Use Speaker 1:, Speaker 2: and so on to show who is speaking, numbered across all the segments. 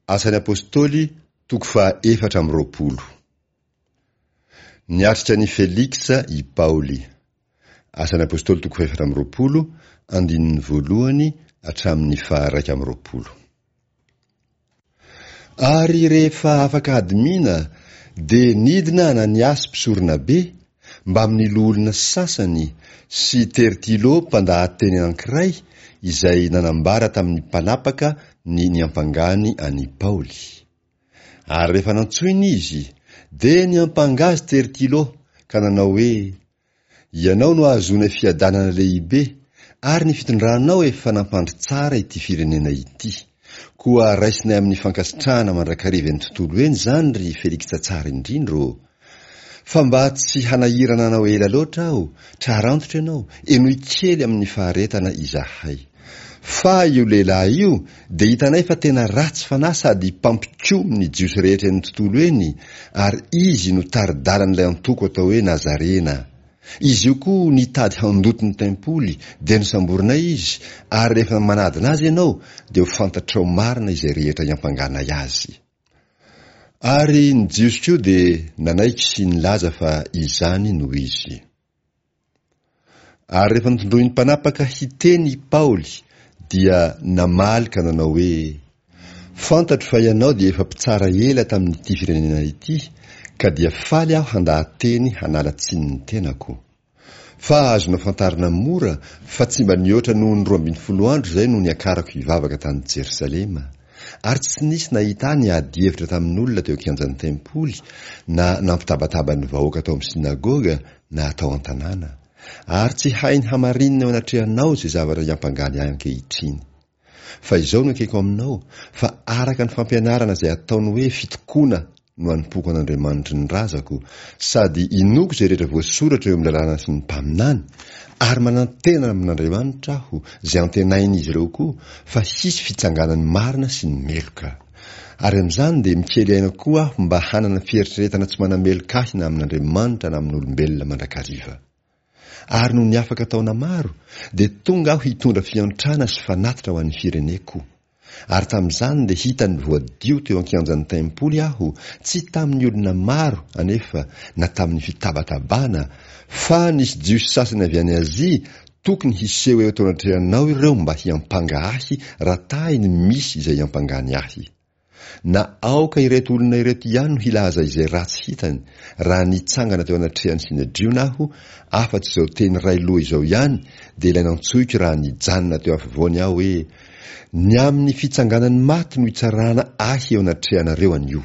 Speaker 1: Asan'ny Apostoly toko faha 24. Niatrika an'i Feliksa i Paoly. Asan'ny Apostoly toko faha 24, andininy voalohany hatramin'ny faha 21. Ary rehefa afaka hadimiana dia nidina Ananiasy mpisoronabe mbamin'ny loholona sasany sy Tertylo mpandahateny anankiray izay nanambara tamin'ny mpanapaka ny niampangany an'i Paoly. Ary rehefa nantsoina izy, dia niampanga azy Tertylo ka nanao hoe, Ianao no ahazoanay fiadanana lehibe, ary ny fitondranao efa nampandry tsara ity firenena ity. Koa raisinay amin'ny fankasitrahana mandrakariva eny tontolo eny izany ry Feliksa tsara indrindra ô! Fa mba tsy hanahirana anao ela loatra aho, trarantitra ianao, henoy kely amin'ny faharetana izahay. Fa io lehilahy io dia hitanay fa tena ratsy fanahy sady mpampikomy ny Jiosy rehetra eny tontolo eny, ary izy no tari-dalan'ilay antoko atao hoe Nazarena. Izy io koa nitady handoto ny tempoly, dia nosamborinay izy, ary rehefa manadina azy ianao, dia ho fantatrao marina izay rehetra iampanganay azy. Ary ny Jiosy koa dia nanaiky sy nilaza fa izany no izy. Ary rehefa notondroin'ny mpanapaka hiteny i Paoly, dia namaly ka nanao hoe, Fantatro fa ianao dia efa mpitsara ela tamin'ity firenena ity, ka dia faly aho handaha-teny hanala tsiny ny tenako. Fa azonao fantarina mora fa tsy mba nihoatra noho ny 12 andro izay no niakarako hivavaka tany Jerosalema. Ary tsy nisy nahita ahy niady hevitra tamin'olona teo an-kianjan'ny tempoly, na nampitabataba ny vahoaka tao amin'ny synagoga, na tao an-tanàna. Ary tsy hainy hamarinina eo anatrehanao izay zavatra iampangany ahy ankehitriny. Fa izao no ekeko aminao, fa araka ny fampianarana izay ataony hoe fitokoana no anompoako an'Andriamanitry ny razako, sady inoako izay rehetra voasoratra eo amin'ny lalàna sy ny mpaminany, ary manantena amin'Andriamanitra aho, izay antenain'izy ireo koa, fa hisy fitsanganan'ny marina sy ny meloka. Ary amin'izany dia mikely aina koa aho mba hanana fieritreretana tsy manameloka ahy na amin'Andriamanitra na amin'olombelona mandrakariva. Ary nony afaka taona maro, dia tonga aho hitondra fiantrana sy fanatitra ho an'ny fireneko. Ary tamin'izany dia hitany voadio teo an-kianjan'ny tempoly aho, tsy tamin'ny olona maro anefa na tamin'ny fitabatabana, fa nisy Jiosy sasany avy any Azia tokony hiseho eo teo anatrehanao ireo mba hiampanga ahy raha tahiny misy izay iampangany ahy. Na aoka ireto olona ireto ihany no hilaza izay ratsy hitany raha nitsangana teo anatrehan'ny Synedriona aho, afa-tsy izao teny iray loha izao ihany dia ilay nantsoiko raha nijanona teo afovoany aho hoe, Ny amin'ny fitsanganan'ny maty no itsarana ahy eo anatrehanareo anio.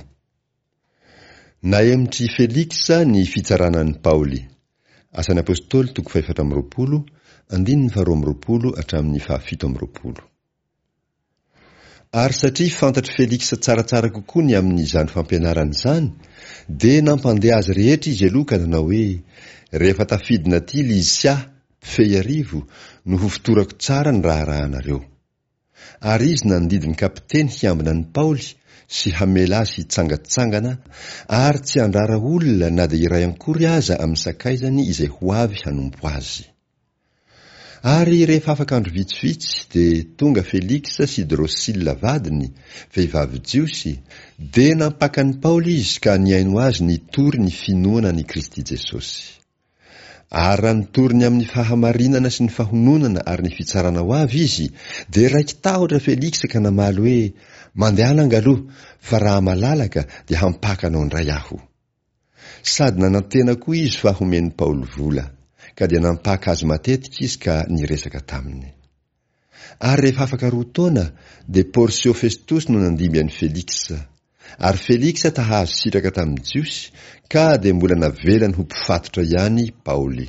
Speaker 1: Nahemotr'i Feliksa ny fitsarana an'i Paoly. Asan'ny Apostoly toko fahefatra amby 20, andininy faharoa amby 20 hatramin'ny fahafito amby 20. Ary satria fantatr'i Feliksa tsaratsara kokoa ny amin'izany fampianarana izany, dia nampandeha azy rehetra izy aloha ka nanao hoe, Rehefa tafidina aty Lysia, mpifehy arivo, no hofotorako tsara ny raharahanareo. Ary izy nandidy ny kapiteny hiambina an'i Paoly sy hamela azy hitsangantsangana ary tsy handrara olona na dia iray ankory aza amin'ny sakaizany izay ho avy hanompo azy. Ary rehefa afaka andro vitsivitsy, dia tonga Feliksa sy Drosila vadiny, vehivavy jiosy, dia nampaka an'i Paoly izy ka nihaino azy nitory ny finoana an'i Kristy Jesosy. Ary raha nitory ny amin'ny fahamarinana sy ny fahononana ary ny fitsarana ho avy izy, dia raiki-tahotra Feliksa ka namaly hoe, Mandehana angaloha, fa raha malalaka dia hampaka anao indray aho. Sady nanantena koa izy fa homen'i Paoly vola, ka dia nampaka azy matetika izy ka niresaka taminy. Ary rehefa afaka roa taona, dia Porsio Festosy no nandimby an'i Feliksa. Ary Feliksa ta-hahazo sitraka tamin'ny Jiosy, ka dia mbola navelany ho mpifatotra ihany Paoly.